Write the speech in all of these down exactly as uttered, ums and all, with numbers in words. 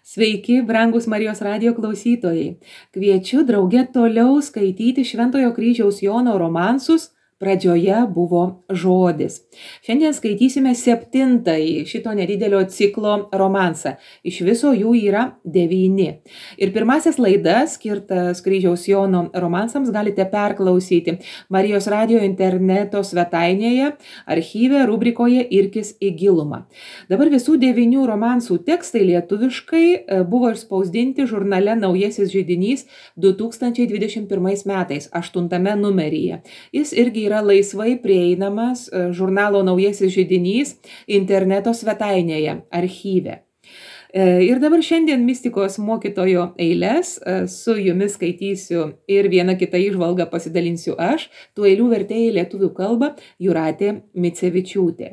Sveiki, brangus Marijos radijo klausytojai. Kviečiu drauge toliau skaityti Šventojo kryžiaus Jono romansus. Pradžioje buvo žodis. Šiandien skaitysime septintąjį šito nedidelio ciklo romansą. Iš viso jų yra devyni. Ir pirmasis laidas, skirtas kryžiaus Jono romansams, galite perklausyti Marijos radijo interneto svetainėje, archyve, rubrikoje Irkis į gilumą. Dabar visų devynių romansų tekstai lietuviškai buvo išspausdinti žurnale Naujasis židinys du tūkstančiai dvidešimt pirmais metais, aštuntame numeryje. Jis irgi yra laisvai prieinamas žurnalo Naujasis židinys interneto svetainėje, archyve. Ir dabar šiandien mistikos mokytojo eiles su jumis skaitysiu ir vieną kitą įžvalgą pasidalinsiu aš, tų eilių vertėjai lietuvių kalbą Jūratė Micevičiūtė.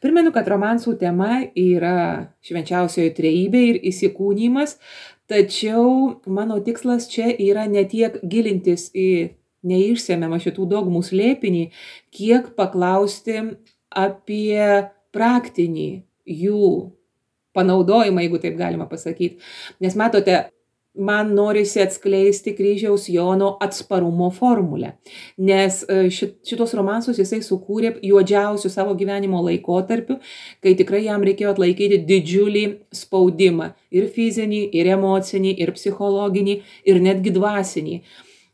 Primenu, kad romansų tema yra švenčiausioji trejybė ir įsikūnymas, tačiau mano tikslas čia yra ne tiek gilintis į neišsemiamą šitų dogmų slėpinį, kiek paklausti apie praktinį jų panaudojimą, jeigu taip galima pasakyti. Nes matote, man norisi atskleisti kryžiaus Jono atsparumo formulę, nes šitos romansus jisai sukūrė juodžiausių savo gyvenimo laikotarpiu, kai tikrai jam reikėjo atlaikyti didžiulį spaudimą, ir fizinį, ir emocinį, ir psichologinį, ir netgi dvasinį.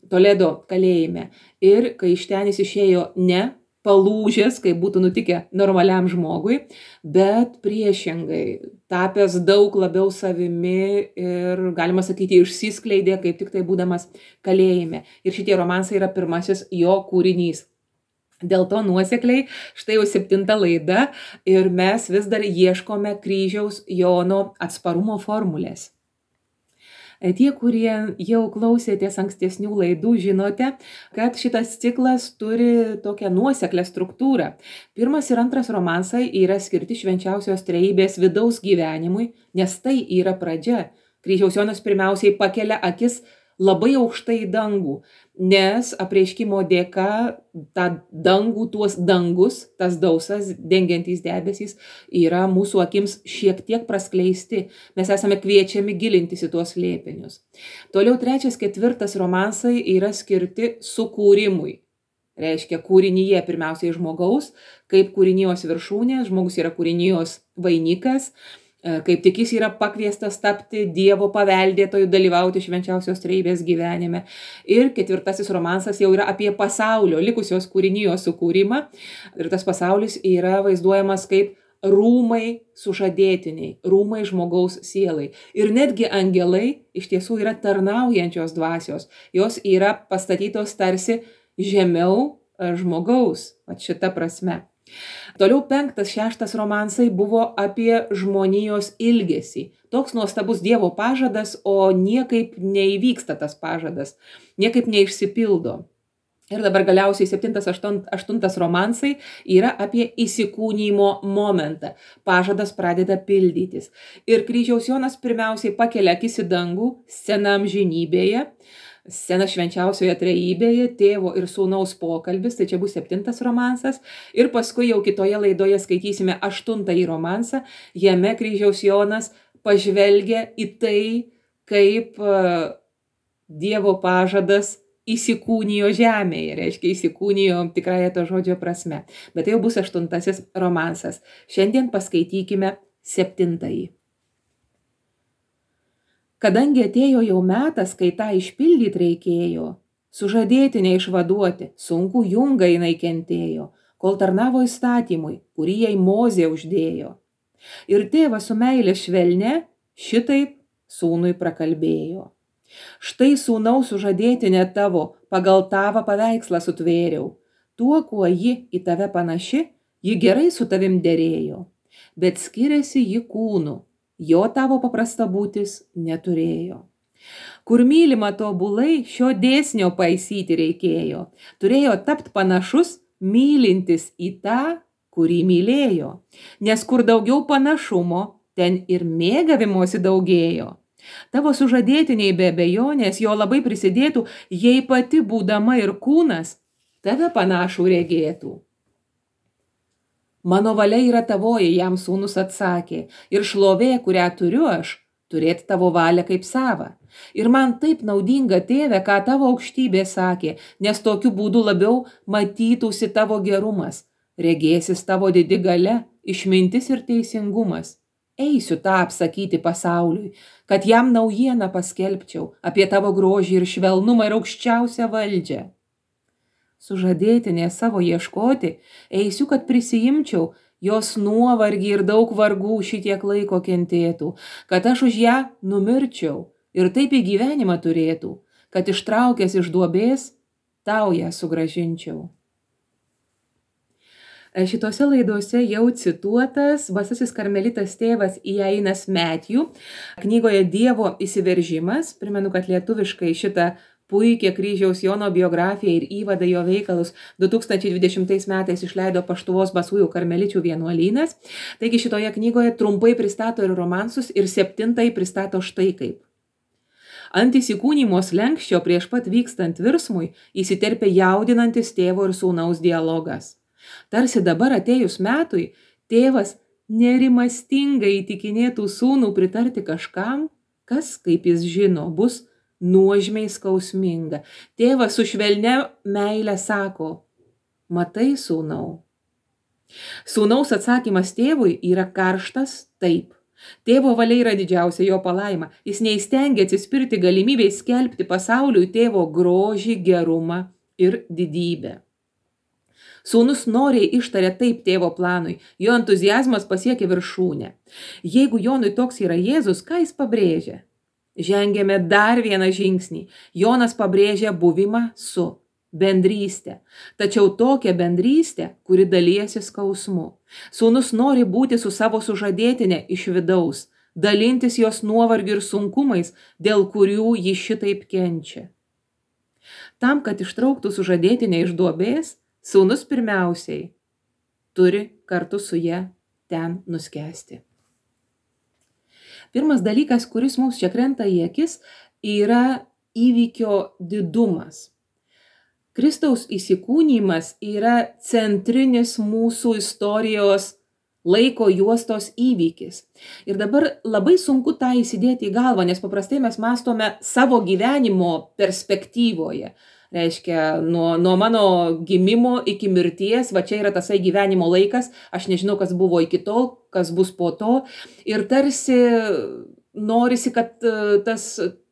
Toledo kalėjime. Ir kai iš ten jis išėjo ne palūžęs, kaip būtų nutikę normaliam žmogui, bet priešingai, tapęs daug labiau savimi ir, galima sakyti, išsiskleidė, kaip tik tai būdamas kalėjime. Ir šitie romansai yra pirmasis jo kūrinys. Dėl to nuosekliai, štai jau septinta laida ir mes vis dar ieškome kryžiaus Jono atsparumo formulės. Tie, kurie jau klausėtės ankstesnių laidų, žinote, kad šitas ciklas turi tokią nuoseklę struktūrą. Pirmas ir antras romansai yra skirti švenčiausios trejybės vidaus gyvenimui, nes tai yra pradžia. Kryžiaus Jonas pirmiausiai pakelia akis labai aukštai į dangų, nes apreiškimo dėka tą dangų, tuos dangus, tas dausas dengiantys debesys yra mūsų akims šiek tiek praskleisti. Mes esame kviečiami gilintis į tuos slėpinius. Toliau trečias, ketvirtas romansai yra skirti sukūrimui. Reiškia kūrinyje pirmiausiai žmogaus, kaip kūrinijos viršūnė, žmogus yra kūrinijos vainikas, kaip tik jis yra pakviestas tapti Dievo paveldėtojų, dalyvauti švenčiausios trejybės gyvenime. Ir ketvirtasis romansas jau yra apie pasaulio, likusios kūrinijos sukūrimą. Ir tas pasaulis yra vaizduojamas kaip rūmai sužadėtiniai, rūmai žmogaus sielai. Ir netgi angelai iš tiesų yra tarnaujančios dvasios. Jos yra pastatytos tarsi žemiau žmogaus, vat šita prasme. Toliau penktas, šeštas romansai buvo apie žmonijos ilgesį. Toks nuostabus Dievo pažadas, o niekaip neįvyksta tas pažadas, niekaip neišsipildo. Ir dabar galiausiai septintas, aštuntas romansai yra apie įsikūnymo momentą. Pažadas pradeda pildytis. Ir kryžiaus Jonas pirmiausiai pakelia akis į dangų, scena amžinybėje, scena švenčiausioje trejybėje, tėvo ir sūnaus pokalbis, tai čia bus septintas romansas. Ir paskui jau kitoje laidoje skaitysime aštuntąjį romansą. Jame kryžiaus Jonas pažvelgia į tai, kaip uh, Dievo pažadas įsikūnijo žemėje, reiškia įsikūnijo tikrąją to žodžio prasme. Bet tai jau bus aštuntasis romansas. Šiandien paskaitykime septintąjį. Kadangi atėjo jau metas, kai tą išpildyti reikėjo, sužadėtinę išvaduoti, sunku jungą jinai kentėjo, kol tarnavo įstatymui, kurį jai Mozė uždėjo. Ir tėvas su meilė švelne šitaip sūnui prakalbėjo. Štai sūnaus sužadėtinė tavo, pagal tavo paveikslą sutvėriau. Tuo, kuo ji į tave panaši, ji gerai su tavim derėjo, bet skiriasi ji kūnu. Jo tavo paprasta būtis neturėjo. Kur mylima tobulai, šio dėsnio paisyti reikėjo. Turėjo tapt panašus, mylintis į tą, kurį mylėjo. Nes kur daugiau panašumo, ten ir mėgavimosi daugėjo. Tavo sužadėtiniai be abejonės jo labai prisidėtų, jei pati būdama ir kūnas, tave panašų regėtų. Mano valia yra tavoji, jam sūnus atsakė, ir šlovė, kurią turiu aš, turėti tavo valią kaip savą. Ir man taip naudinga, tėve, ką tavo aukštybė sakė, nes tokiu būdu labiau matytųsi tavo gerumas, regėsis tavo didi galia, išmintis ir teisingumas. Eisiu tą apsakyti pasauliui, kad jam naujieną paskelbčiau apie tavo grožį ir švelnumą ir aukščiausią valdžią. Sužadėtinė savo ieškoti, eisiu, kad prisijimčiau, jos nuovargį ir daug vargų šitiek laiko kentėtų, kad aš už ją numirčiau ir taip į gyvenimą turėtų, kad ištraukęs iš duobės, tau ją sugrąžinčiau. Šitose laidose jau cituotas basasis karmelitas tėvas Iainas Matthew knygoje Dievo įsiveržimas. Primenu, kad lietuviškai šitą puikią kryžiaus Jono biografiją ir įvadą jo veikalus du tūkstančiai dvidešimtais metais išleido Paštuvos basųjų karmeličių vienuolynas. Taigi šitoje knygoje trumpai pristato ir romansus ir septintai pristato štai kaip. Ant įsikūnymo slenkščio prieš pat vykstant virsmui įsiterpia jaudinantis tėvo ir sūnaus dialogas. Tarsi dabar atėjus metui, tėvas nerimastingai įtikinėtų sūnų pritarti kažkam, kas, kaip jis žino, bus nuožmiai skausminga. Tėvas su švelnia meile sako, matai, sūnau. Sūnaus atsakymas tėvui yra karštas taip. Tėvo valia yra didžiausia jo palaima. Jis neįstengia atsispirti galimybei skelbti pasauliui tėvo grožį, gerumą ir didybę. Sūnus noriai ištarė taip tėvo planui, jo entuziazmas pasiekė viršūnę. Jeigu Jonui toks yra Jėzus, ką jis pabrėžia? Žengėme dar vieną žingsnį. Jonas pabrėžia buvimą su bendrystė. Tačiau tokia bendrystė, kuri dalijasi skausmu. Sūnus nori būti su savo sužadėtine iš vidaus, dalintis jos nuovargiu ir sunkumais, dėl kurių ji šitaip kenčia. Tam, kad ištrauktų sužadėtinę iš duobės, sūnus pirmiausiai turi kartu su ja ten nuskęsti. Pirmas dalykas, kuris mums čia krenta į akis, yra įvykio didumas. Kristaus įsikūnymas yra centrinis mūsų istorijos laiko juostos įvykis. Ir dabar labai sunku tą įsidėti į galvą, nes paprastai mes mąstome savo gyvenimo perspektyvoje. Reiškia, nuo, nuo mano gimimo iki mirties, va čia yra tasai gyvenimo laikas, aš nežinau, kas buvo iki tol, kas bus po to. Ir tarsi norisi, kad tas,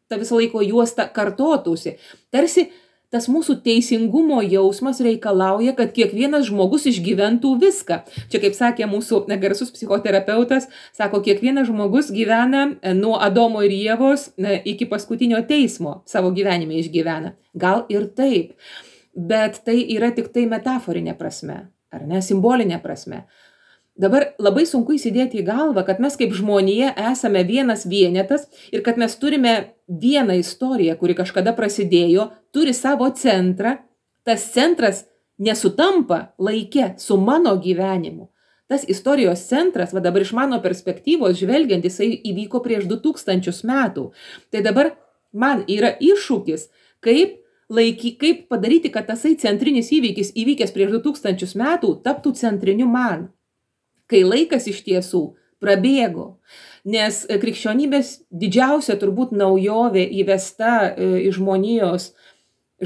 ta visa laiko juosta kartotųsi. Tarsi tas mūsų teisingumo jausmas reikalauja, kad kiekvienas žmogus išgyventų viską. Čia, kaip sakė mūsų garsus psichoterapeutas, sako, kiekvienas žmogus gyvena nuo Adomo ir Ievos iki paskutinio teismo savo gyvenime išgyvena. Gal ir taip, bet tai yra tik tai metaforinė prasme, ar ne, simbolinė prasme. Dabar labai sunku įsidėti į galvą, kad mes kaip žmonija esame vienas vienetas ir kad mes turime vieną istoriją, kuri kažkada prasidėjo, turi savo centrą. Tas centras nesutampa laike su mano gyvenimu. Tas istorijos centras, va dabar iš mano perspektyvos žvelgiant, jisai įvyko prieš du tūkstančius metų. Tai dabar man yra iššūkis, kaip, laiky, kaip padaryti, kad tasai centrinis įvykis įvykęs prieš du tūkstančius metų taptų centriniu man. Kai laikas iš tiesų prabėgo, nes krikščionybės didžiausia turbūt naujovė įvesta į žmonijos,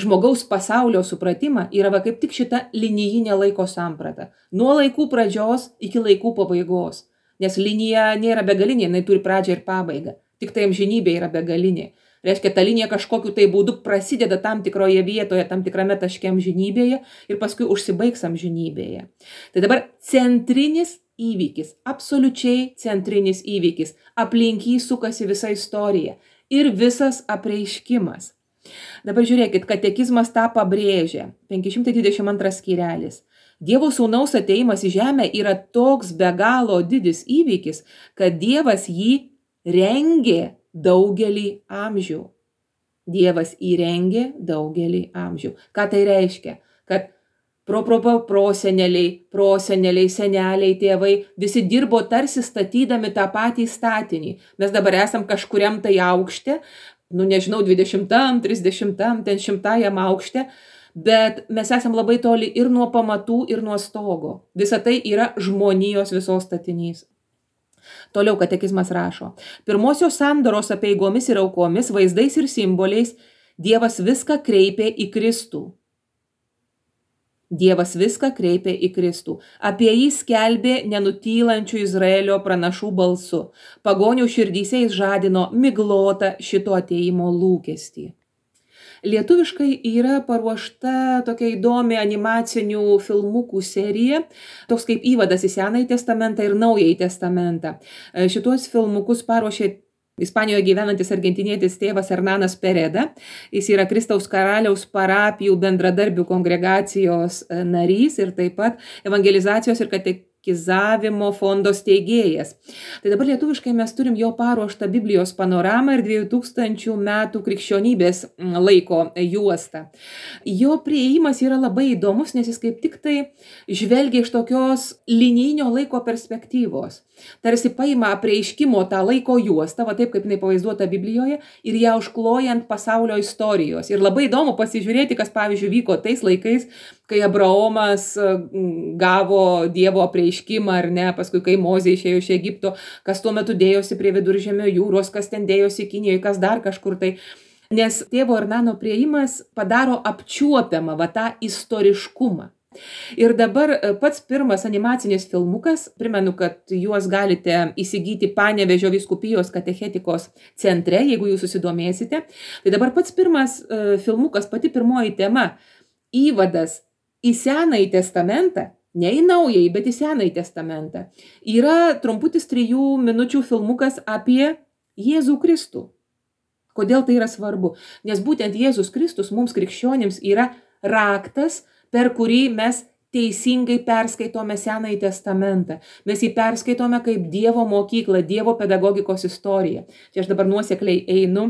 žmogaus pasaulio supratimą yra va kaip tik šita linijinė laiko samprata. Nuo laikų pradžios iki laikų pabaigos, nes linija nėra begalinė, jinai turi pradžią ir pabaigą, tik tai amžinybė yra begalinė. Reiškia, ta linija kažkokiu tai būdu prasideda tam tikroje vietoje, tam tikrame taške amžinybėje ir paskui užsibaigs amžinybėje. Tai dabar centrinis įvykis, absoliučiai centrinis įvykis, aplink jį sukasi visa istorija ir visas apreiškimas. Dabar žiūrėkit, katekizmas tą pabrėžia, penki šimtai dvidešimt antras skyrelis. Dievo sūnaus atėjimas į žemę yra toks be galo didis įvykis, kad Dievas jį rengė daugelį amžių. Dievas įrengė daugelį amžių. Ką tai reiškia? Kad pro, pro, pro, proseneliai, proseneliai, seneliai, tėvai, visi dirbo tarsi statydami tą patį statinį. Mes dabar esam kažkuriam tai aukšte, nu nežinau, dvidešimtam, trisdešimtam, ten šimtajam aukšte, bet mes esam labai toli ir nuo pamatų, ir nuo stogo. Visa tai yra žmonijos visos statinys. Toliau katekizmas rašo. Pirmosios sandoros apeigomis ir aukomis, vaizdais ir simboliais Dievas viską kreipė į Kristų. Dievas viską kreipė į Kristų. Apie jį skelbė nenutylančių Izraelio pranašų balsu. Pagonių širdyse jis žadino miglotą šito atėjimo lūkestį. Lietuviškai yra paruošta tokia įdomi animacinių filmukų serija, toks kaip įvadas į Senąjį testamentą ir Naująjį testamentą. Šitos filmukus paruošė Ispanijoje gyvenantis argentinietis tėvas Hernanas Pereda. Jis yra Kristaus karaliaus parapijų bendradarbių kongregacijos narys ir taip pat evangelizacijos ir katekizavimo fondo steigėjas. Tai dabar lietuviškai mes turim jo paruoštą Biblijos panoramą ir dviejų tūkstančių metų krikščionybės laiko juostą. Jo priėjimas yra labai įdomus, nes jis kaip tik tai žvelgia iš tokios linijinio laiko perspektyvos. Tarsi paima apreiškimo tą laiko juostą, va taip kaip jinai pavaizduota Biblijoje, ir ją užklojant pasaulio istorijos. Ir labai įdomu pasižiūrėti, kas pavyzdžiui vyko tais laikais, kai Abraomas gavo Dievo apreiškimą, ar ne, paskui kai Mozė išėjo iš Egipto, kas tuo metu dėjosi prie Viduržemio jūros, kas ten dėjosi Kinijoje, kas dar kažkur tai. Nes tėvo Hernano priėjimas padaro apčiuopiamą va tą istoriškumą. Ir dabar pats pirmas animacinis filmukas, primenu, kad juos galite įsigyti Panevėžio vyskupijos katechetikos centre, jeigu jūs susidomėsite. Tai dabar pats pirmas filmukas, pati pirmoji tema, įvadas į Senąjį testamentą, ne į Naująjį, bet į Senąjį testamentą, yra trumputis trijų minučių filmukas apie Jėzų Kristų. Kodėl tai yra svarbu? Nes būtent Jėzus Kristus mums krikščionims yra raktas, per kurį mes teisingai perskaitome Senąjį testamentą. Mes jį perskaitome kaip Dievo mokyklą, Dievo pedagogikos istoriją. Čia aš dabar nuosekliai einu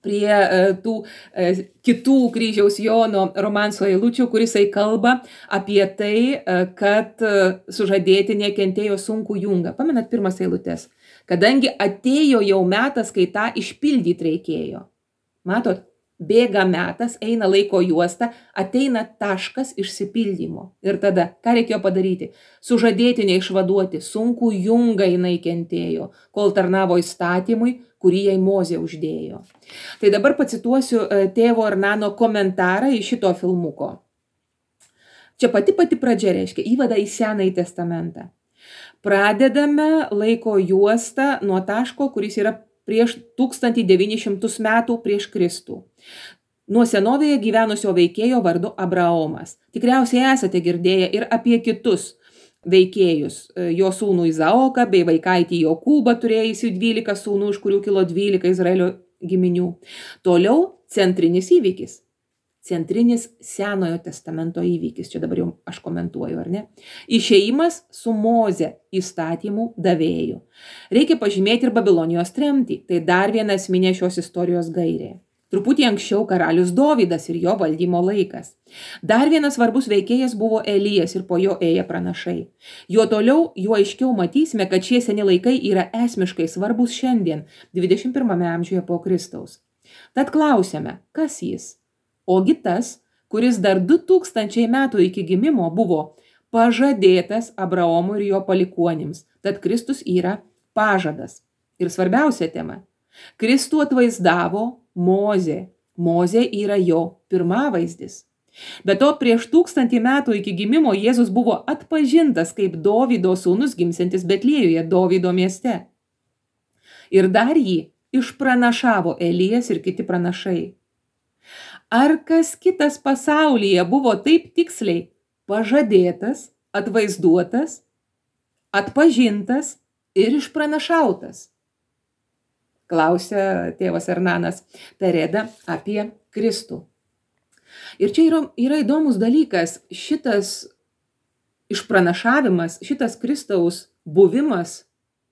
prie e, tų e, kitų kryžiaus Jono romanso eilučių, kuris kalba apie tai, e, kad e, sužadėtinė kentėjo sunkų jungą. Pamenat pirmas eilutes? Kadangi atėjo jau metas, kai tą išpildyti reikėjo. Matot? Bėga metas, eina laiko juosta, ateina taškas išsipildymo. Ir tada, ką reikėjo padaryti? Sužadėtinė išvaduoti, sunkų jungą jinai kentėjo, kol tarnavo įstatymui, kurį jai Mozė uždėjo. Tai dabar pacituosiu tėvo Hernano komentarą iš šito filmuko. Čia pati pati pradžia reiškia įvadą į Senąjį testamentą. Pradedame laiko juostą nuo taško, kuris yra prieš tūkstantį devynis šimtus metų prieš Kristų. Nuo senovėje gyvenusio veikėjo vardu Abraomas. Tikriausiai esate girdėję ir apie kitus veikėjus. Jo sūnų Izaoką bei vaikaitį Jokūbą turėjusių dvylika sūnų, iš kurių kilo dvylika Izraelio giminių. Toliau centrinis įvykis. Centrinis Senojo testamento įvykis. Čia dabar jau aš komentuoju, ar ne? Išėjimas su Moze įstatymų davėju. Reikia pažymėti ir Babilonijos tremtį. Tai dar viena esminė šios istorijos gairė. Truputį anksčiau karalius Dovydas ir jo valdymo laikas. Dar vienas svarbus veikėjas buvo Elijas ir po jo ėję pranašai. Jo toliau, juo aiškiau matysime, kad šie seni laikai yra esmiškai svarbus šiandien, dvidešimt pirmame amžiuje po Kristaus. Tad klausiame, kas jis? Ogi tas, kuris dar du tūkstančiai metų iki gimimo buvo pažadėtas Abraomui ir jo palikuonims. Tad Kristus yra pažadas. Ir svarbiausia tema. Kristų atvaizdavo Mozė. Mozė yra jo pirmavaizdis. Be to, prieš tūkstantį metų iki gimimo Jėzus buvo atpažintas kaip Dovydo sūnus gimsiantis Betliejuje, Dovydo mieste. Ir dar jį išpranašavo Elijas ir kiti pranašai. Ar kas kitas pasaulyje buvo taip tiksliai pažadėtas, atvaizduotas, atpažintas ir išpranašautas? Klausia tėvas Hernanas Pereda apie Kristų. Ir čia yra, yra įdomus dalykas, šitas išpranašavimas, šitas Kristaus buvimas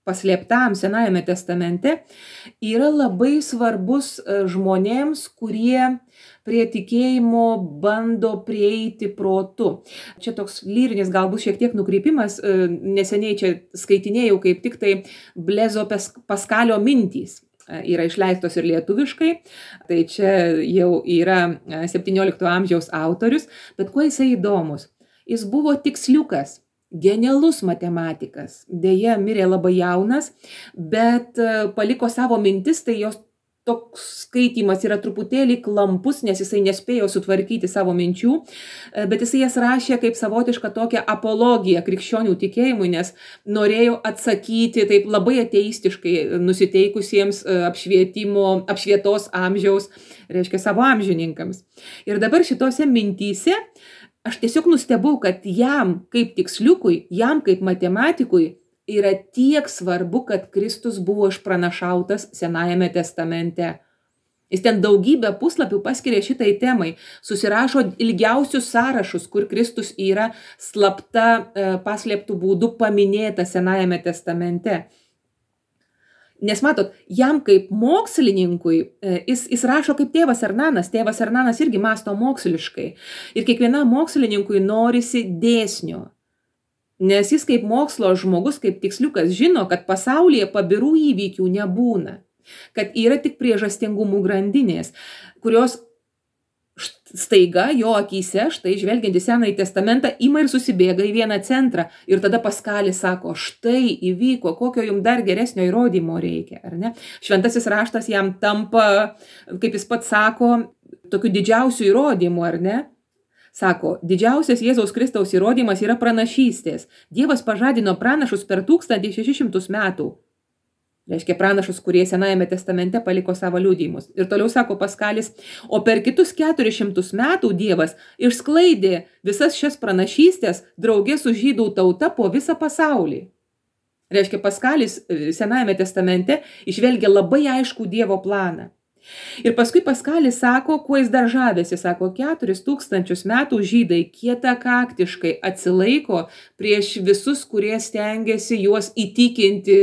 paslėptam Senajame testamente yra labai svarbus žmonėms, kurie prie tikėjimo bando prieiti protu. Čia toks lyrinis galbūt šiek tiek nukreipimas, neseniai čia skaitinėjau kaip tik tai Blezo Paskalio mintys. Yra išleistos ir lietuviškai, tai čia jau yra septyniolikto amžiaus autorius, bet kuo jisai įdomus? Jis buvo tiksliukas. genialus matematikas. Deja, mirė labai jaunas, bet paliko savo mintis, tai jos toks skaitymas yra truputėlį klampus, nes jisai nespėjo sutvarkyti savo minčių, bet jisai jas rašė kaip savotišką tokią apologiją krikščionių tikėjimui, nes norėjo atsakyti taip labai ateistiškai nusiteikusiems apšvietimo, apšvietos amžiaus, reiškia savo amžininkams. Ir dabar šitose mintyse aš tiesiog nustebau, kad jam kaip tiksliukui, jam kaip matematikui yra tiek svarbu, kad Kristus buvo išpranašautas Senajame testamente. Jis ten daugybę puslapių paskiria šitai temai, susirašo ilgiausius sąrašus, kur Kristus yra slapta paslėptų būdų paminėtas Senajame testamente. Nes matot, jam kaip mokslininkui, jis, jis rašo kaip tėvas Ernanas, tėvas Ernanas irgi mąsto moksliškai. Ir kiekvienam mokslininkui norisi dėsnio. Nes jis kaip mokslo žmogus, kaip tiksliukas žino, kad pasaulyje pabirų įvykių nebūna. Kad yra tik priežastingumų grandinės, kurios staiga jo akyse, štai žvelgiant į Senąjį testamentą, ima ir susibėga į vieną centrą. Ir tada Paskalis sako, štai įvyko, kokio jums dar geresnio įrodymo reikia, ar ne? Šventasis raštas jam tampa, kaip jis pats sako, tokiu didžiausiu įrodymu, ar ne? Sako, didžiausias Jėzaus Kristaus įrodymas yra pranašystės. Dievas pažadino pranašus per tūkstantį šešis šimtus metų. Reiškia pranašus, kurie Senajame testamente paliko savo liudijimus. Ir toliau sako Paskalis, o per kitus keturis šimtus metų Dievas išsklaidė visas šias pranašystės draugė su žydų tauta po visą pasaulį. Reiškia, Paskalis Senajame testamente išvelgia labai aiškų Dievo planą. Ir paskui Paskalis sako, kuo jis dar žavėsi, sako, keturis tūkstančius metų žydai kietakaktiškai atsilaiko prieš visus, kurie stengiasi juos įtikinti,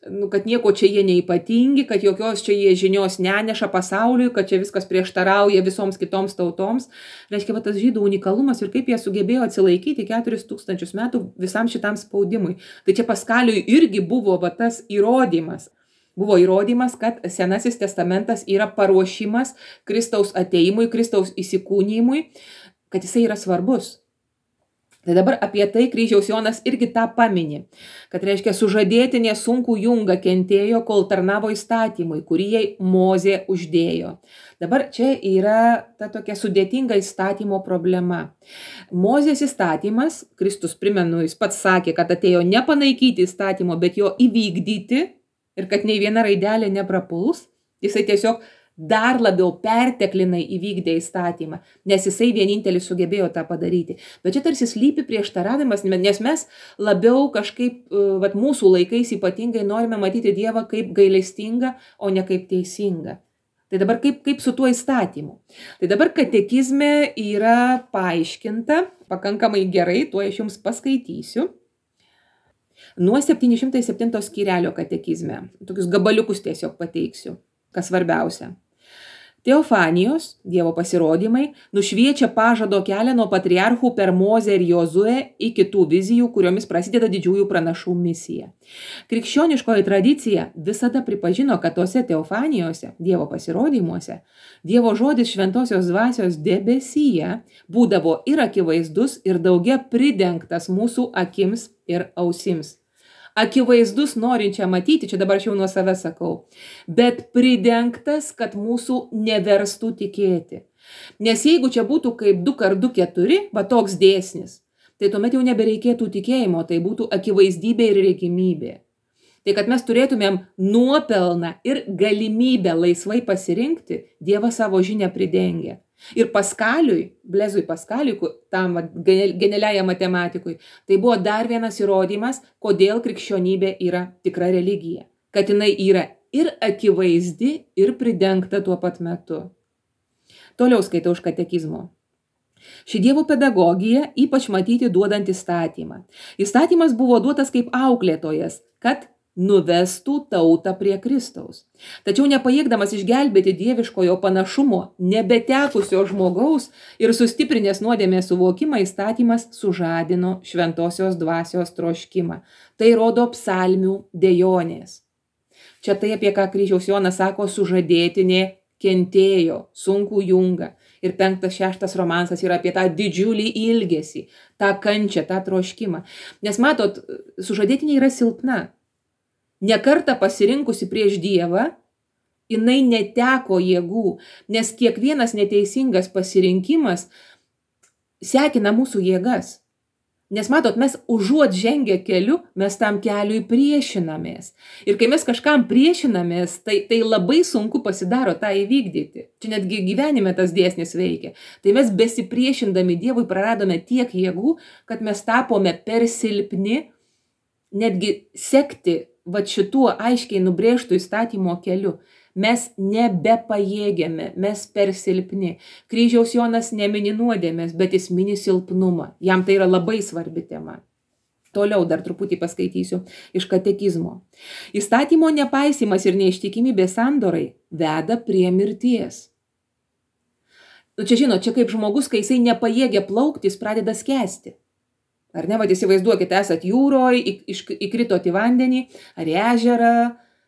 nu, kad nieko čia jie neypatingi, kad jokios čia jie žinios neneša pasauliui, kad čia viskas prieštarauja visoms kitoms tautoms. Reiškia, va, tas žydų unikalumas ir kaip jie sugebėjo atsilaikyti keturis tūkstančius metų visam šitam spaudimui. Tai čia Paskaliui irgi buvo va, tas įrodymas. Buvo įrodymas, kad Senasis testamentas yra paruošimas Kristaus ateimui, Kristaus įsikūnijimui, kad jisai yra svarbus. Tai dabar apie tai kryžiaus Jonas irgi tą pamini, kad reiškia sužadėtinė sunkų jungą kentėjo, kol tarnavo įstatymui, kurį jai Mozė uždėjo. Dabar čia yra ta tokia sudėtinga įstatymo problema. Mozės įstatymas, Kristus, primenu, jis pats sakė, kad atėjo nepanaikyti įstatymo, bet jo įvykdyti, ir kad nei viena raidelė neprapuls, jisai tiesiog dar labiau perteklinai įvykdė įstatymą, nes jisai vienintelis sugebėjo tą padaryti. Bet čia tarsi slypi prieštaravimas, nes mes labiau kažkaip, vat, mūsų laikais ypatingai norime matyti Dievą kaip gailestingą, o ne kaip teisingą. Tai dabar kaip, kaip su tuo įstatymu? Tai dabar katekizme yra paaiškinta pakankamai gerai, tuo aš jums paskaitysiu. Nuo septyni šimtai septinto skyrelio katekizme. Tokius gabaliukus tiesiog pateiksiu, kas svarbiausia. Teofanijos, Dievo pasirodymai, nušviečia pažado kelią nuo patriarchų per Mozę ir Jozuę iki tų vizijų, kuriomis prasideda didžiųjų pranašų misija. Krikščioniškoji tradicija visada pripažino, kad tose teofanijose, Dievo pasirodymuose, Dievo žodis šventosios dvasios debesyje būdavo ir akivaizdus, ir daugia pridengtas mūsų akims ir ausims. Akivaizdus norinčia matyti, čia dabar aš jau nuo savęs sakau, bet pridengtas, kad mūsų neverstų tikėti. Nes jeigu čia būtų kaip du kart du keturi, va toks dėsnis, tai tuomet jau nebereikėtų tikėjimo, tai būtų akivaizdybė ir regimybė. Tai kad mes turėtumėm nuopelną ir galimybę laisvai pasirinkti, Dievas savo žinią pridengia. Ir Paskaliui, Blezui Paskaliui, tam genialiajam matematikui, tai buvo dar vienas įrodymas, kodėl krikščionybė yra tikra religija. Kad jinai yra ir akivaizdi, ir pridengta tuo pat metu. Toliau skaitau iš katekizmo. Ši Dievo pedagogija ypač matyti duodant įstatymą. Įstatymas buvo duotas kaip auklėtojas, kad nuvestų tautą prie Kristaus. Tačiau nepajėgdamas išgelbėti dieviškojo panašumo nebetekusio žmogaus ir sustiprinęs nuodėmės suvokimą, įstatymas sužadino šventosios dvasios troškimą. Tai rodo psalmių dejonės. Čia tai, apie ką kryžiaus Jonas sako, sužadėtinė kentėjo sunkų jungą. Ir penktas, šeštas romansas yra apie tą didžiulį ilgesį, tą kančią, tą troškimą. Nes matot, sužadėtinė yra silpna. Nekartą pasirinkusi prieš Dievą, jinai neteko jėgų, nes kiekvienas neteisingas pasirinkimas sekina mūsų jėgas. Nes matot, mes užuot žengę keliu, mes tam keliui priešinamės. Ir kai mes kažkam priešinamės, tai, tai labai sunku pasidaro tą įvykdyti. Čia netgi gyvenime tas dėsnis veikia. Tai mes besipriešindami Dievui praradome tiek jėgų, kad mes tapome per silpni netgi sekti va šituo aiškiai nubrėžtų įstatymo keliu. Mes nebepajėgiame, mes per silpni. Kryžiaus Jonas nemini nuodėmės, bet jis mini silpnumą. Jam tai yra labai svarbi tema. Toliau dar truputį paskaitysiu iš katekizmo. Įstatymo nepaisymas ir neištikimybė sandorai veda prie mirties. Nu čia žinot, čia kaip žmogus, kai jisai nepajėgia plaukti, jis pradeda skęsti. Ar ne, vad įsivaizduokite, esat jūroje, įkritote į vandenį ar į ežerą,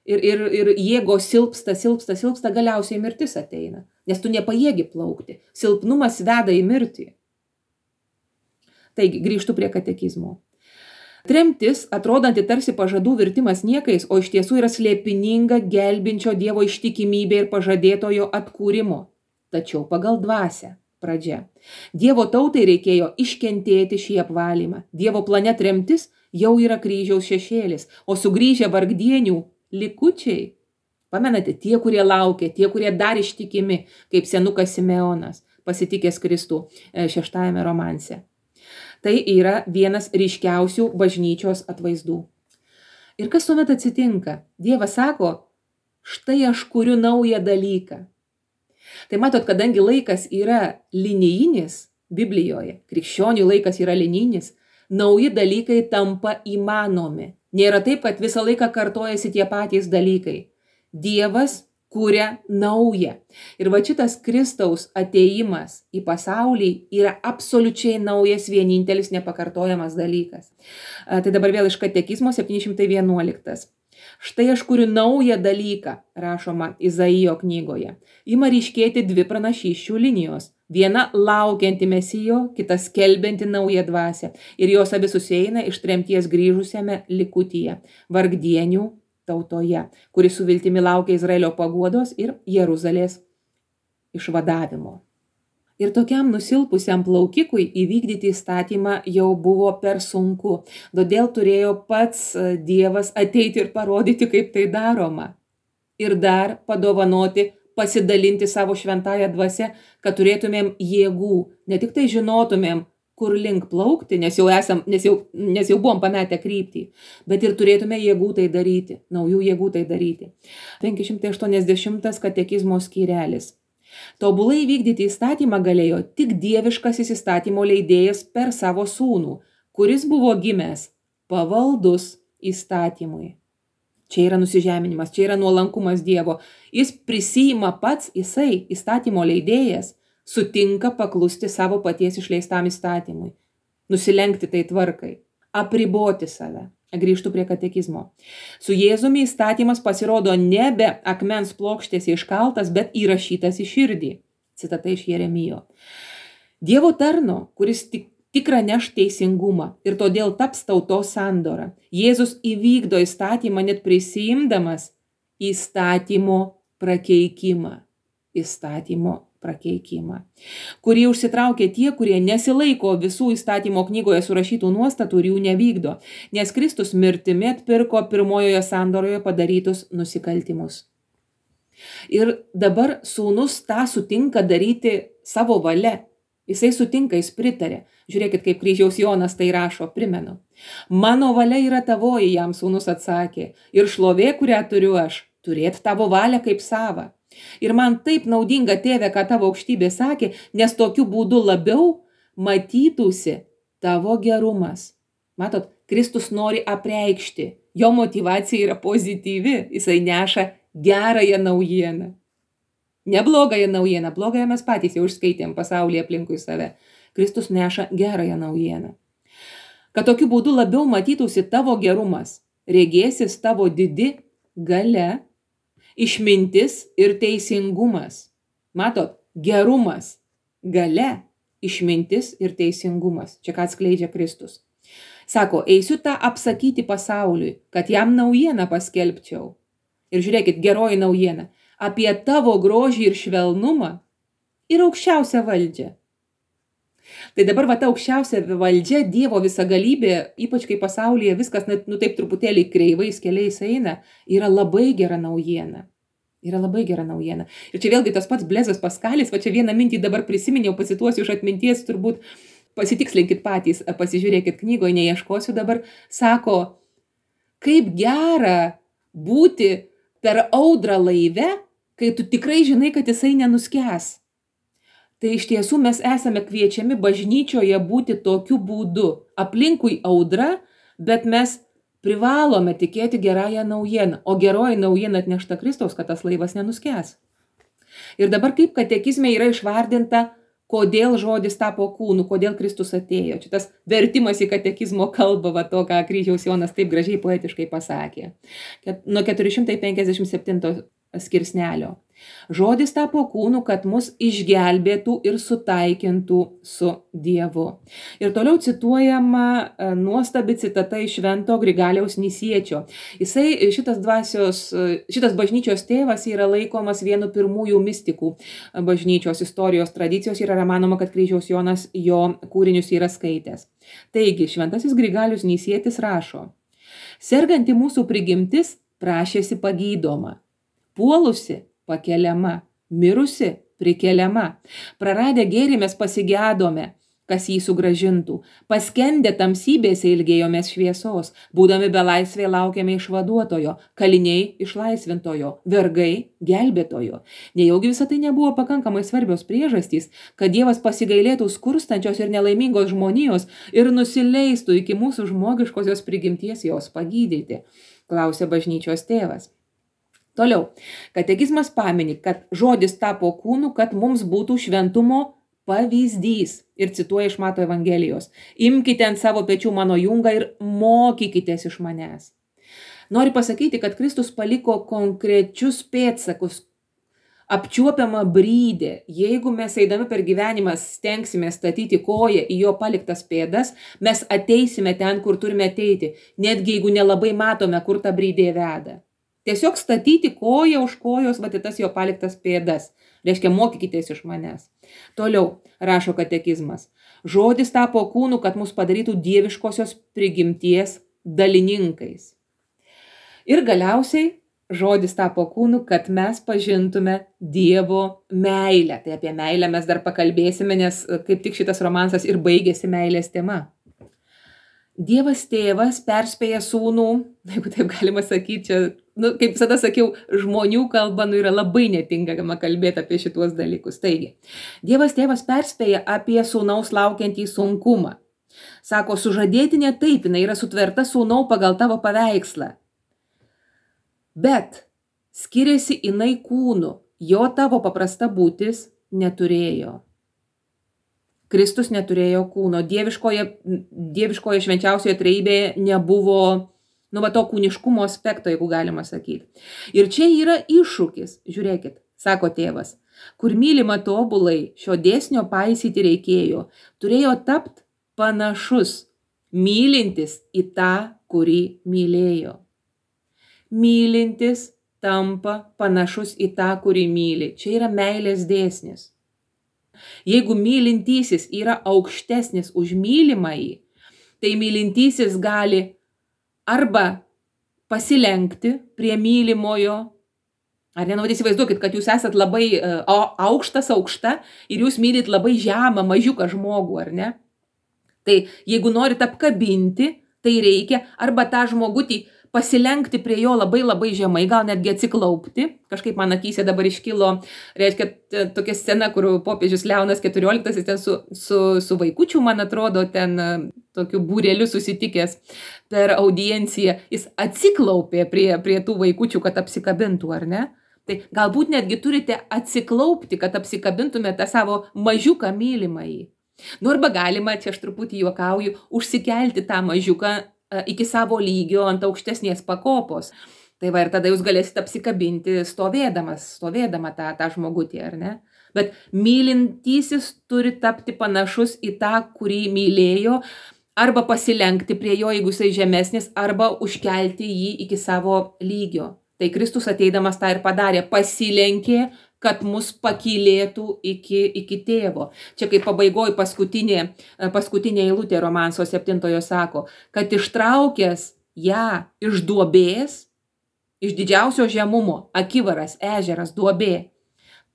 Ir, ir, ir jėgos silpsta, silpsta, silpsta, galiausiai mirtis ateina, nes tu nepajėgi plaukti. Silpnumas veda į mirtį. Taigi, grįžtu prie katekizmo. Tremtis, atrodanti tarsi pažadų virtimas niekais, o iš tiesų yra slėpininga gelbinčio Dievo ištikimybė ir pažadėtojo atkūrimo. Tačiau pagal dvasią. Pradžia. Dievo tautai reikėjo iškentėti šį apvalymą. Dievo plane tremtis jau yra kryžiaus šešėlis, o sugrįžę vargdienių likučiai, pamenate, tie, kurie laukia, tie, kurie dar ištikimi, kaip senukas Simeonas, pasitikęs Kristų šeštajame romanse. Tai yra vienas ryškiausių bažnyčios atvaizdų. Ir kas tuomet atsitinka? Dievas sako, štai aš kuriu naują dalyką. Tai matot, kadangi laikas yra linijinis Biblijoje, krikščionių laikas yra linijinis, nauji dalykai tampa įmanomi. Nėra taip, kad visą laiką kartojasi tie patys dalykai. Dievas kuria naują. Ir va šitas Kristaus atėjimas į pasaulį yra absoliučiai naujas, vienintelis, nepakartojamas dalykas. Tai dabar vėl iš katekizmo septyni šimtai vienuoliktas. Štai aš kuriu naują dalyką, rašoma Izaijo knygoje. Ima ryškėti dvi pranašysčių linijos. Viena laukianti Mesijo, kita skelbianti naują dvasią. Ir jos abi susieina iš tremties grįžusiame likutyje, vargdienių tautoje, kuri su viltimi laukia Izraelio paguodos ir Jeruzalės išvadavimo. Ir tokiam nusilpusiam plaukikui įvykdyti įstatymą jau buvo per sunku. Todėl turėjo pats Dievas ateiti ir parodyti, kaip tai daroma. Ir dar padovanoti, pasidalinti savo šventąją dvasią, kad turėtumėm jėgų, ne tik tai žinotumėm, kur link plaukti, nes jau, esam, nes jau, nes jau buvom pametę kryptį, bet ir turėtume jėgų tai daryti, naujų jėgų tai daryti. penki šimtai aštuoniasdešimtas katekizmo skyrelis. Tobulai vykdyti įstatymą galėjo tik dieviškasis įstatymo leidėjas per savo sūnų, kuris buvo gimęs pavaldus įstatymui. Čia yra nusižeminimas, čia yra nuolankumas Dievo. Jis prisijima pats, jisai, įstatymo leidėjas, sutinka paklusti savo paties išleistam įstatymui, nusilenkti tai tvarkai, apriboti save. Grįžtu prie katekizmo. Su Jėzumi įstatymas pasirodo nebe akmens plokštėse iškaltas, bet įrašytas į širdį. Citata iš Jeremijo. Dievo tarno, kuris tik, tikrą neš teisingumą ir todėl taps tautos sandora. Jėzus įvykdo įstatymą net prisijimdamas įstatymo prakeikimą. Įstatymo prakeikimą, kurį užsitraukė tie, kurie nesilaiko visų įstatymo knygoje surašytų nuostatų ir jų nevykdo, nes Kristus mirtimi atpirko pirmojoje sandoroje padarytus nusikaltimus. Ir dabar sūnus tą sutinka daryti savo valia. Jisai sutinka, jis pritarė. Žiūrėkit, kaip kryžiaus Jonas tai rašo, primenu. Mano valia yra tavoji, jam sūnus atsakė, ir šlovė, kurią turiu aš, turėt tavo valią kaip savą. Ir man taip naudinga, tėve, ką tavo aukštybė sakė, nes tokiu būdu labiau matytųsi tavo gerumas. Matot, Kristus nori apreikšti, jo motyvacija yra pozityvi, jisai neša gerąją naujieną. Ne blogąją naujieną, blogąją mes patys jau išskaitėm pasaulyje aplinkui save. Kristus neša gerąją naujieną. Kad tokiu būdu labiau matytųsi tavo gerumas, regėsis tavo didi galia, išmintis ir teisingumas. Matot, gerumas, galia, išmintis ir teisingumas. Čia ką atskleidžia Kristus. Sako, eisiu tą apsakyti pasauliui, kad jam naujieną paskelbčiau. Ir žiūrėkit, geroji naujiena. Apie tavo grožį ir švelnumą ir aukščiausią valdžią. Tai dabar va ta aukščiausia valdžia, Dievo visagalybė, ypač kai pasaulyje viskas, nu taip truputėlį kreivais keliais eina, yra labai gera naujiena. Yra labai gera naujiena. Ir čia vėlgi tas pats Blezas Paskalis, va čia vieną mintį dabar prisiminiau, pacituosiu iš atminties, turbūt pasitikslinkit patys, pasižiūrėkit knygoje, neieškosiu dabar, sako, kaip gera būti per audrą laive, kai tu tikrai žinai, kad jisai nenuskęs. Tai iš tiesų mes esame kviečiami bažnyčioje būti tokiu būdu. Aplinkui audra, bet mes privalome tikėti gerąją naujieną. O geroji naujiena atnešta Kristaus, kad tas laivas nenuskęs. Ir dabar kaip katekizme yra išvardinta, kodėl žodis tapo kūnu, kodėl Kristus atėjo. Čia tas vertimas į katekizmo kalbą, va to, ką Kryžiaus Jonas taip gražiai poetiškai pasakė. Nuo keturi šimtai penkiasdešimt septinto skirsnelio. Žodis tapo kūnu, kad mus išgelbėtų ir sutaikintų su Dievu. Ir toliau cituojama nuostabi citata iš Švento Grigaliaus Nisiečio. Jisai, šitas dvasios, šitas bažnyčios tėvas yra laikomas vienu pirmųjų mistikų bažnyčios istorijos tradicijos ir yra manoma, kad Kryžiaus Jonas jo kūrinius yra skaitęs. Taigi, Šventasis Grigalius Nisietis rašo, serganti mūsų prigimtis prašėsi pagydoma, puolusi pakeliama, mirusi prikeliama, praradę gėrį mes pasigedome, kas jį sugrąžintų, paskendę tamsybėse ilgėjomės šviesos, būdami belaisvė laukiame išvaduotojo, kaliniai išlaisvintojo, vergai gelbėtojo. Nejaugi visą tai nebuvo pakankamai svarbios priežastys, kad Dievas pasigailėtų skurstančios ir nelaimingos žmonijos ir nusileistų iki mūsų žmogiškosios prigimties jos pagydyti, klausė bažnyčios tėvas. Toliau, katekizmas pamini, kad žodis tapo kūnu, kad mums būtų šventumo pavyzdys. Ir cituoja iš Mato Evangelijos. Imkite ant savo pečių mano jungą ir mokykitės iš manęs. Nori pasakyti, kad Kristus paliko konkrečius pėdsakus, apčiuopiamą brydę. Jeigu mes eidami per gyvenimą stengsime statyti koją į jo paliktas pėdas, mes ateisime ten, kur turime ateiti, netgi jeigu nelabai matome, kur ta brydė veda. Tiesiog statyti koją už kojos, va tas jo paliktas pėdas. Reiškia, mokykitės iš manęs. Toliau rašo katekizmas. Žodis tapo kūnu, kad mus padarytų dieviškosios prigimties dalininkais. Ir galiausiai žodis tapo kūnu, kad mes pažintume Dievo meilę. Tai apie meilę mes dar pakalbėsime, nes kaip tik šitas romansas ir baigėsi meilės tema. Dievas tėvas perspėja sūnų, jeigu taip galima sakyti, čia, nu, kaip visada sakiau, žmonių kalba nu, yra labai netinkama kalbėti apie šituos dalykus. Taigi, Dievas tėvas perspėja apie sūnaus laukiantį sunkumą. Sako, sužadėtinė taip, jinai yra sutverta sūnau pagal tavo paveikslą. Bet skiriasi jinai kūnu, jo tavo paprasta būtis neturėjo. Kristus neturėjo kūno, dieviškoje, dieviškoje švenčiausioje trejybėje nebuvo, nu, va, to kūniškumo aspekto, jeigu galima sakyti. Ir čia yra iššūkis, žiūrėkit, sako tėvas, kur mylima tobulai, šio dėsnio paisyti reikėjo, turėjo tapt panašus, mylintis į tą, kurį mylėjo. Mylintis tampa panašus į tą, kurį myli. Čia yra meilės dėsnis. Jeigu mylintysis yra aukštesnis už mylimąjį, tai mylintysis gali arba pasilenkti prie mylimojo, ar ne, nu, įsivaizduokit, kad jūs esat labai uh, aukštas aukšta ir jūs mylit labai žemą, mažiuką žmogų, ar ne? Tai jeigu norit apkabinti, tai reikia arba tą žmogutį pasilenkti prie jo labai labai žemai, gal netgi atsiklaupti. Kažkaip man akyse dabar iškilo, reiškia, tokia scena, kur popiežius Leonas keturioliktasis ten su, su, su vaikučiu, man atrodo, ten tokiu būreliu susitikęs per audienciją. Jis atsiklaupė prie, prie tų vaikučių, kad apsikabintų, ar ne? Tai galbūt netgi turite atsiklaupti, kad apsikabintumėte savo mažiuką mylimąjį. Nu arba galima, čia aš truputį juokauju, užsikelti tą mažiuką iki savo lygio ant aukštesnės pakopos. Tai va ir tada jūs galėsite apsikabinti stovėdamas, stovėdama tą, tą žmogutį, ar ne? Bet mylintysis turi tapti panašus į tą, kurį mylėjo, arba pasilenkti prie jo, jeigu jisai žemesnis, arba užkelti jį iki savo lygio. Tai Kristus ateidamas tą ir padarė, pasilenkė, kad mus pakylėtų iki, iki tėvo. Čia kaip pabaigoj paskutinė, paskutinė eilutė romanso septintojo sako, kad ištraukęs ją iš duobės, iš didžiausio žemumo, akivaras, ežeras, duobė,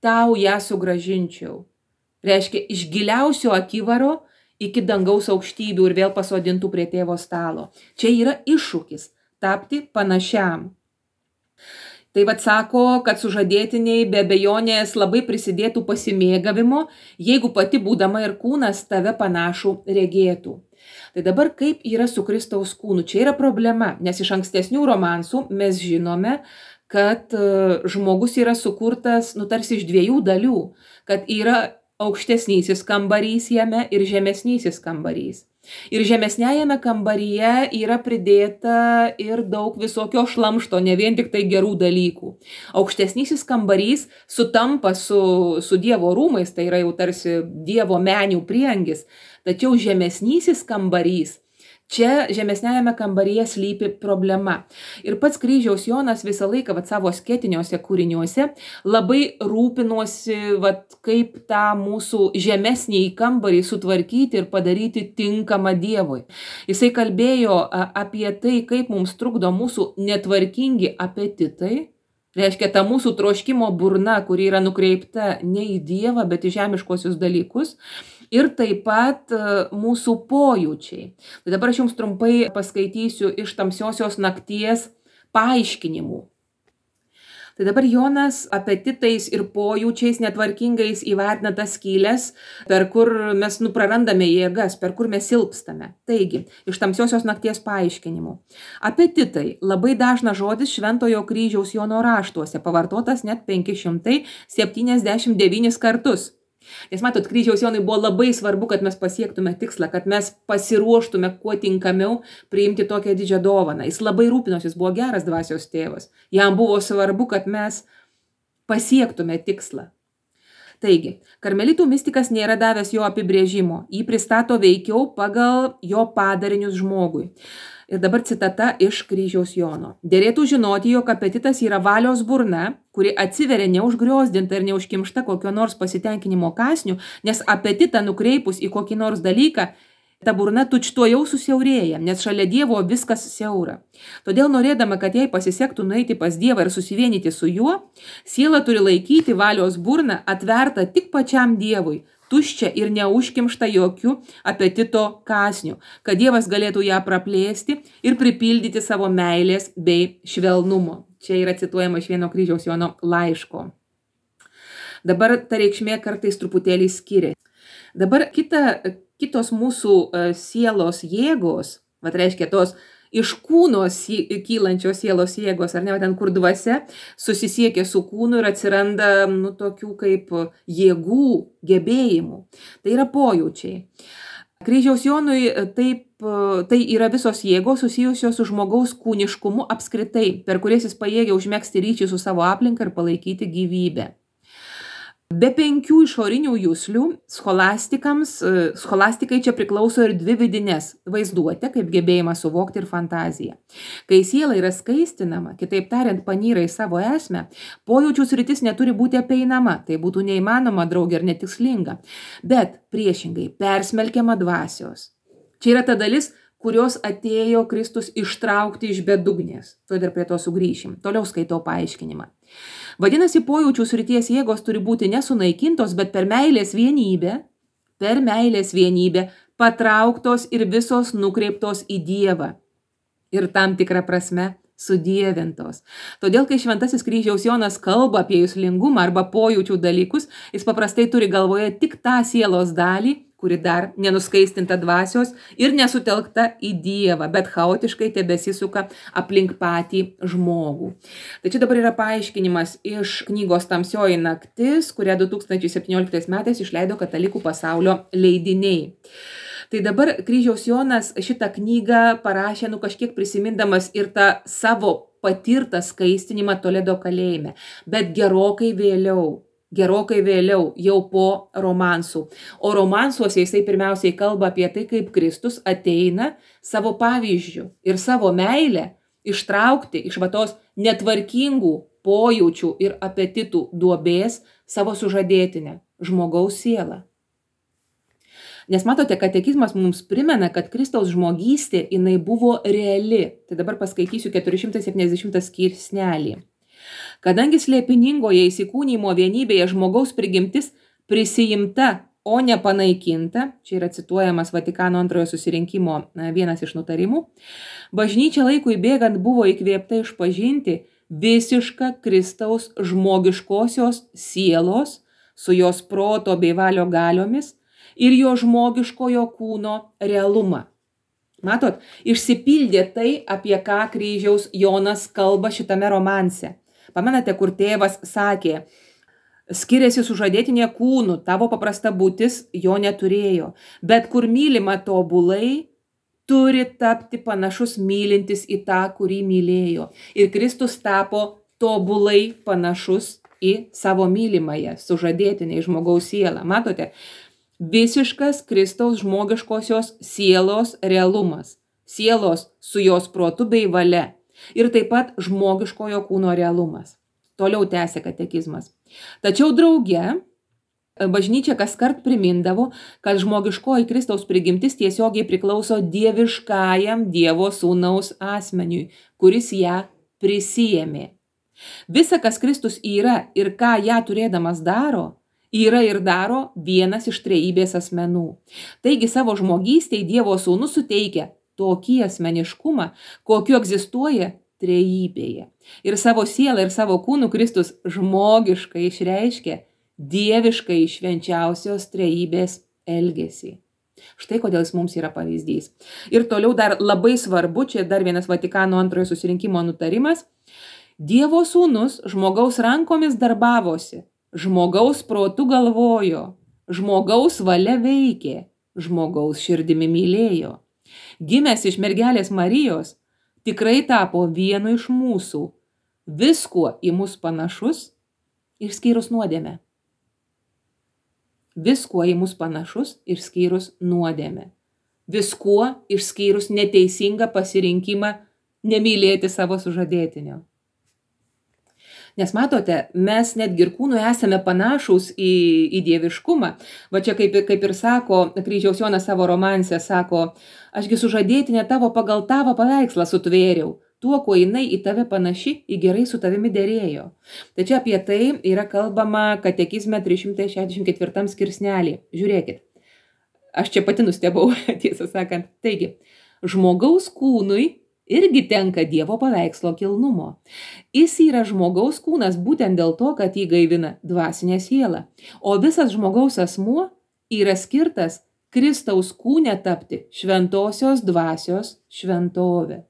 tau ją sugrąžinčiau. Reiškia, iš giliausio akivaro iki dangaus aukštybių ir vėl pasodintų prie tėvo stalo. Čia yra iššūkis tapti panašiam. Tai vad sako, kad sužadėtiniai be abejonės labai prisidėtų pasimėgavimo, jeigu pati būdama ir kūnas tave panašų regėtų. Tai dabar kaip yra su Kristaus kūnu? Čia yra problema, nes iš ankstesnių romansų mes žinome, kad žmogus yra sukurtas, nu, tarsi iš dviejų dalių, kad yra aukštesnysis kambarys jame ir žemesnysis kambarys. Ir žemesniajame kambaryje yra pridėta ir daug visokio šlamšto, ne vien tik tai gerų dalykų. Aukštesnysis kambarys sutampa su, su Dievo rūmais, tai yra jau tarsi Dievo menių priengis, tačiau žemesnysis kambarys, čia žemesniajame kambaryje slypi problema. Ir pats Kryžiaus Jonas visą laiką vat, savo sketiniuose kūriniuose labai rūpinosi, vat, kaip tą mūsų žemesnį kambarį sutvarkyti ir padaryti tinkamą Dievui. Jisai kalbėjo apie tai, kaip mums trukdo mūsų netvarkingi apetitai. Reiškia, ta mūsų troškimo burna, kuri yra nukreipta ne į Dievą, bet į žemiškosius dalykus. Ir taip pat mūsų pojūčiai. Tai dabar aš jums trumpai paskaitysiu iš Tamsiosios nakties paaiškinimų. Tai dabar Jonas apetitais ir pojūčiais netvarkingais įvertina tas skylės, per kur mes nu, prarandame jėgas, per kur mes silpstame. Taigi, iš Tamsiosios nakties paaiškinimų. Apetitai labai dažnas žodis Šventojo Kryžiaus Jono raštuose, pavartotas net penki šimtai septyniasdešimt devynis kartus. Nes matot, Kryžiaus Jonui buvo labai svarbu, kad mes pasiektume tikslą, kad mes pasiruoštume kuo tinkamiau priimti tokią didžią dovaną. Jis labai rūpinosi, jis buvo geras dvasios tėvas. Jam buvo svarbu, kad mes pasiektume tikslą. Taigi, karmelitų mistikas nėra davęs jo apibrėžimo, jį pristato veikiau pagal jo padarinius žmogui. Ir dabar citata iš Kryžiaus Jono. Dėrėtų žinoti, jog apetitas yra valios burna, kuri atsiveria neužgriozdinta ir neužkimšta kokio nors pasitenkinimo kąsnių, nes apetitą nukreipus į kokį nors dalyką, ta burna tučtuojau susiaurėja, nes šalia Dievo viskas siaura. Todėl norėdama, kad jai pasisektų nueiti pas Dievą ir susivienyti su juo, siela turi laikyti valios burną atvertą tik pačiam Dievui, tuščia ir neužkimšta jokių apetito kąsnių, kad Dievas galėtų ją praplėsti ir pripildyti savo meilės bei švelnumo. Čia yra cituojama iš vieno Kryžiaus Jono laiško. Dabar ta reikšmė kartais truputėlį skiria. Dabar kita, kitos mūsų sielos jėgos, vat reiškia tos iš kūno kylančios sielos jėgos, ar ne, ten kur dvasia susisiekia su kūnu ir atsiranda nu, tokių kaip jėgų, gebėjimų. Tai yra pojūčiai. Kryžiaus Jonui taip, tai yra visos jėgos susijusios su žmogaus kūniškumu apskritai, per kurias jis pajėgia užmegzti ryšį su savo aplinka ir palaikyti gyvybę. Be penkių išorinių juslių scholastikams, scholastikai čia priklauso ir dvi vidinės – vaizduotė, kaip gebėjimas suvokti ir fantazija. Kai siela yra skaistinama, kitaip tariant, panyra į savo esmę, pojūčių sritis neturi būti apeinama, tai būtų neįmanoma, draugė, ir netikslinga, bet priešingai persmelkiama dvasios. Čia yra ta dalis, kurios atėjo Kristus ištraukti iš bedugnės. Todėl prie to sugrįšim. Toliau skaitau paaiškinimą. Vadinasi, pojūčių srities jėgos turi būti nesunaikintos, bet per meilės vienybę, per meilės vienybę patrauktos ir visos nukreiptos į Dievą. Ir tam tikrą prasme sudievintos. Todėl, kai Šventasis Kryžiaus Jonas kalba apie juslingumą arba pojūčių dalykus, jis paprastai turi galvoje tik tą sielos dalį, kuri dar nenuskaistinta dvasios ir nesutelkta į Dievą, bet chaotiškai tebesisuka aplink patį žmogų. Tai čia dabar yra paaiškinimas iš knygos Tamsioji naktis, kurią du tūkstančiai septynioliktais metais išleido Katalikų pasaulio leidiniai. Tai dabar Kryžiaus Jonas šitą knygą parašė, nu kažkiek prisimindamas ir tą savo patirtą skaistinimą Toledo kalėjime, bet gerokai vėliau. Gerokai vėliau, jau po romansų. O romansuose jisai pirmiausiai kalba apie tai, kaip Kristus ateina savo pavyzdžių ir savo meilę ištraukti iš va tos netvarkingų pojūčių ir apetitų duobės savo sužadėtinę, žmogaus sielą. Nes matote, katekizmas mums primena, kad Kristaus žmogystė jinai buvo reali. Tai dabar paskaitysiu keturi šimtai septyniasdešimtą skirsnelį. Kadangi slėpiningoje įsikūnymo vienybėje žmogaus prigimtis prisijimta, o ne panaikinta, čia yra cituojamas Vatikano antrojo susirinkimo vienas iš nutarimų, bažnyčia laikui bėgant buvo įkvėpta išpažinti visišką Kristaus žmogiškosios sielos su jos proto bei valio galiomis ir jo žmogiškojo kūno realumą. Matot, išsipildė tai, apie ką kryžiaus Jonas kalba šitame romanse. Pamenate, kur tėvas sakė, skiriasi sužadėtinė kūnu, tavo paprasta būtis jo neturėjo, bet kur mylima tobulai, turi tapti panašus mylintis į tą, kurį mylėjo. Ir Kristus tapo tobulai panašus į savo mylimąją, sužadėtinę į žmogaus sielą. Matote, visiškas Kristaus žmogiškosios sielos realumas, sielos su jos protu bei valia. Ir taip pat žmogiškojo kūno realumas. Toliau tęsė katekizmas. Tačiau drauge bažnyčia kaskart primindavo, kad žmogiškoji Kristaus prigimtis tiesiogiai priklauso dieviškajam Dievo sūnaus asmeniui, kuris ją prisijėmė. Visa, kas Kristus yra ir ką ją turėdamas daro, yra ir daro vienas iš trejybės asmenų. Taigi savo žmogystei Dievo sūnus suteikia tokį asmeniškumą, kokiu egzistuoja trejybėje. Ir savo sielą ir savo kūnų Kristus žmogiškai išreiškia dieviškai švenčiausios trejybės elgesį. Štai kodėl jis mums yra pavyzdys. Ir toliau dar labai svarbu, čia dar vienas Vatikano antrojo susirinkimo nutarimas, Dievo sūnus žmogaus rankomis darbavosi, žmogaus protu galvojo, žmogaus valia veikė, žmogaus širdimi mylėjo. Gimęs iš mergelės Marijos, tikrai tapo vienu iš mūsų, viskuo į mus panašus, išskyrus nuodėmę. Viskuo į mus panašus, išskyrus nuodėmę. Viskuo išskyrus neteisingą pasirinkimą nemylėti savo sužadėtinio. Nes matote, mes netgi ir kūnui esame panašūs į, į dieviškumą. Va čia kaip, kaip ir sako, kryžiaus Jonas savo romanse sako, ašgi sužadėtinė tavo pagal tavo paveikslą sutvėriau, tuo, kuo jinai į tave panaši, į gerai su tavimi derėjo. Tai čia apie tai yra kalbama katekizme trys šimtai šešiasdešimt ketvirtam skirsnelį. Žiūrėkit, aš čia pati nustebau, tiesą sakant. Taigi, žmogaus kūnui irgi tenka Dievo paveikslo kilnumo. Jis yra žmogaus kūnas būtent dėl to, kad jį gaivina dvasinė siela. O visas žmogaus asmuo yra skirtas Kristaus kūne tapti šventosios dvasios šventovė.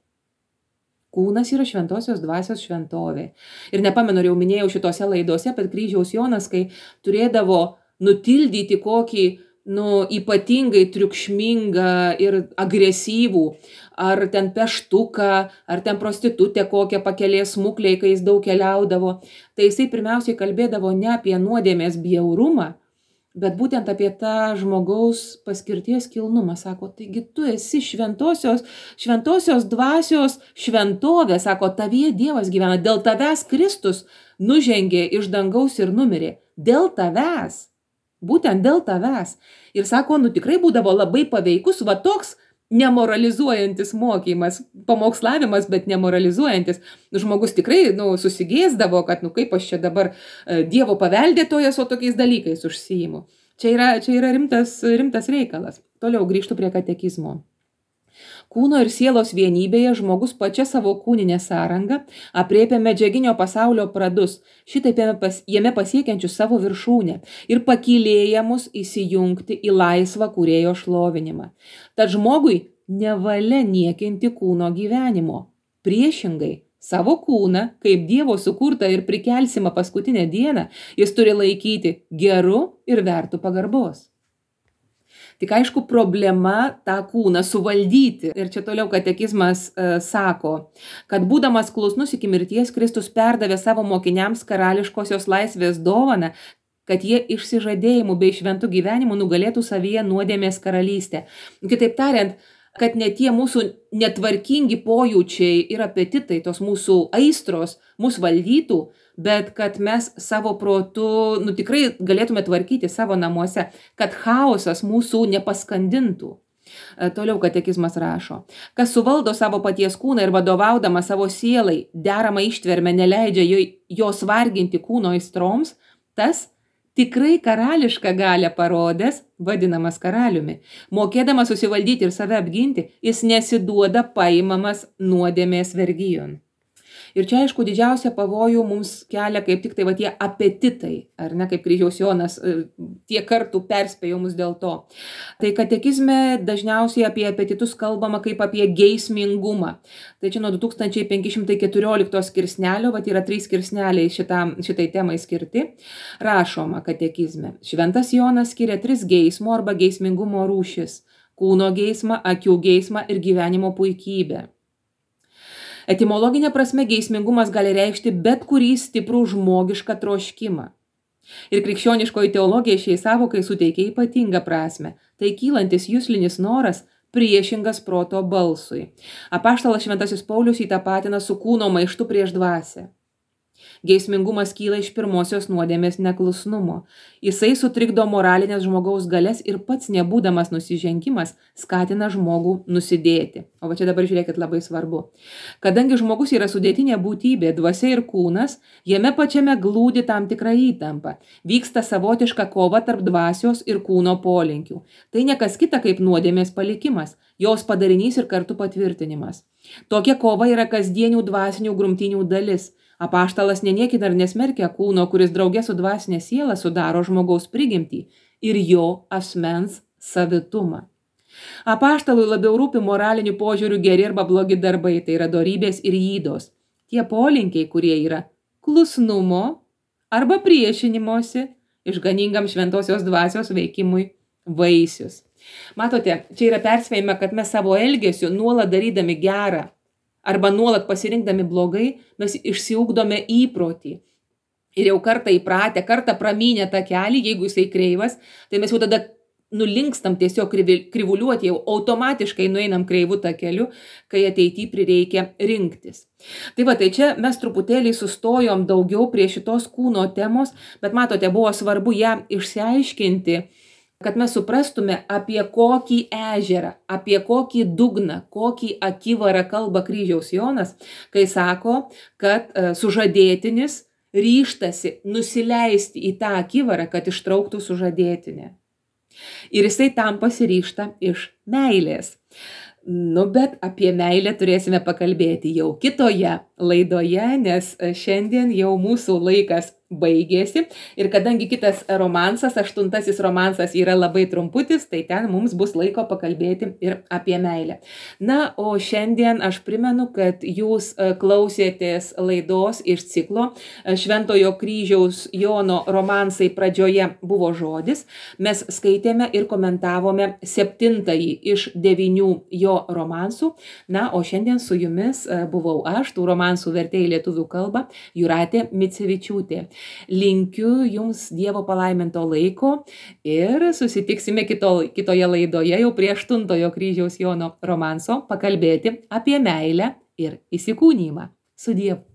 Kūnas yra šventosios dvasios šventovė. Ir nepamenu, jau minėjau šitose laidose, bet kryžiaus Jonas, kai turėdavo nutildyti kokį nu, ypatingai triukšmingą ir agresyvų, ar ten peštuką, ar ten prostitutę kokią pakelės smuklei, kai jis daug keliaudavo, tai jisai pirmiausiai kalbėdavo ne apie nuodėmės bjaurumą, bet būtent apie tą žmogaus paskirties kilnumą. Sako, taigi tu esi šventosios, šventosios dvasios šventovė, sako, tavyje Dievas gyvena, dėl tavęs Kristus nužengė iš dangaus ir numirė, dėl tavęs. Būtent dėl tavęs. Ir sako, nu tikrai būdavo labai paveikus, va toks nemoralizuojantis mokymas, pamokslavimas, bet nemoralizuojantis. Žmogus tikrai nu, susigėsdavo, kad nu kaip aš čia dabar Dievo paveldėtojas, o tokiais dalykais užsiimu. Čia yra, čia yra rimtas, rimtas reikalas. Toliau grįžtu prie katekizmo. Kūno ir sielos vienybėje žmogus pačia savo kūninę sąrangą aprėpia medžiaginio pasaulio pradus, šitaip jame pasiekiančius savo viršūnę ir pakylėja mus įsijungti į laisvą kūrėjo šlovinimą. Tad žmogui nevalia niekinti kūno gyvenimo. Priešingai, savo kūną, kaip Dievo sukurtą ir prikelsimą paskutinę dieną, jis turi laikyti geru ir vertu pagarbos. Tik aišku, problema tą kūną suvaldyti. Ir čia toliau katekizmas e, sako, kad būdamas klusnus iki mirties, Kristus perdavė savo mokiniams karališkosios laisvės dovaną, kad jie išsižadėjimu bei šventų gyvenimu nugalėtų savyje nuodėmės karalystę. Kitaip tariant, kad ne tie mūsų netvarkingi pojūčiai ir apetitai, tos mūsų aistros, mus valdytų, bet kad mes savo protu, nu tikrai galėtume tvarkyti savo namuose, kad chaosas mūsų nepaskandintų. E, Toliau katekizmas rašo, kas suvaldo savo paties kūną ir vadovaudama savo sielai deramą ištvermę neleidžia jo- jos varginti kūno aistroms, tas tikrai karališką galią parodęs, vadinamas karaliumi. Mokėdamas susivaldyti ir save apginti, jis nesiduoda paimamas nuodėmės vergijon. Ir čia, aišku, didžiausia pavojų mums kelia kaip tik tai va tie apetitai, ar ne, kaip kryžiaus Jonas e, tiek kartų perspėjo mus dėl to. Tai katekizme dažniausiai apie apetitus kalbama kaip apie geismingumą. Tai čia nuo du tūkstančiai penki šimtai keturiolikto skirsnelio, va yra trys skirsneliai šitam, šitai temai skirti, rašoma katekizme. Šventas Jonas skiria tris geismo arba geismingumo rūšis – kūno geismą, akių geismą ir gyvenimo puikybę. Etimologinė prasme geismingumas gali reikšti bet kurį stiprų žmogišką troškimą. Ir krikščioniškoji teologija šiai savokai suteikia ypatingą prasme. Tai kylantis juslinis noras priešingas proto balsui. Apaštalas Šventasis Paulius jį tapatina su kūno maištu prieš dvasią. Geismingumas kyla iš pirmosios nuodėmės neklusnumo. Jisai sutrikdo moralinės žmogaus galias ir pats nebūdamas nusižengimas skatina žmogų nusidėti. O va čia dabar žiūrėkit labai svarbu. Kadangi žmogus yra sudėtinė būtybė, dvasia ir kūnas, jame pačiame glūdi tam tikra įtampa. Vyksta savotiška kova tarp dvasios ir kūno polinkių. Tai nekas kita kaip nuodėmės palikimas, jos padarinys ir kartu patvirtinimas. Tokia kova yra kasdienių dvasinių grumtynių dalis. Apaštalas neniekina ir nesmerkia kūno, kuris draugė su dvasinė siela sudaro žmogaus prigimtį ir jo asmens savitumą. Apaštalui labiau rūpi moralinių požiūrių geri arba blogi darbai, tai yra dorybės ir ydos. Tie polinkiai, kurie yra klusnumo arba priešinimosi išganingam šventosios dvasios veikimui vaisius. Matote, čia yra perspėjama, kad mes savo elgesiu nuolat darydami gerą arba nuolat pasirinkdami blogai, mes išsiugdome įprotį. Ir jau kartą įpratę, kartą pramynę tą kelią, jeigu jisai kreivas, tai mes jau tada nulinkstam tiesiog krivuliuoti, jau automatiškai nueinam kreivu tą keliu, kai ateityje prireikia rinktis. Tai va, tai čia mes truputėlį sustojom daugiau prie šitos kūno temos, bet matote, buvo svarbu ją išsiaiškinti, kad mes suprastume, apie kokį ežerą, apie kokį dugną, kokį akivarą kalba kryžiaus Jonas, kai sako, kad sužadėtinis ryžtasi nusileisti į tą akivarą, kad ištrauktų sužadėtinę. Ir jisai tam pasiryžta iš meilės. Nu, bet apie meilę turėsime pakalbėti jau kitoje laidoje, nes šiandien jau mūsų laikas baigėsi. Ir kadangi kitas romansas, aštuntasis romansas yra labai trumputis, tai ten mums bus laiko pakalbėti ir apie meilę. Na, o šiandien aš primenu, kad jūs klausėtės laidos iš ciklo Šventojo kryžiaus Jono romansai pradžioje buvo žodis. Mes skaitėme ir komentavome septintąjį iš devynių jo romansų. Na, o šiandien su jumis buvau aš, tų romansų vertėjai lietuvių kalbą, Jūratė Micevičiūtė. Linkiu jums Dievo palaiminto laiko ir susitiksime kito, kitoje laidoje jau prie aštuntojo kryžiaus Jono romanso pakalbėti apie meilę ir įsikūnymą. Su Dievu.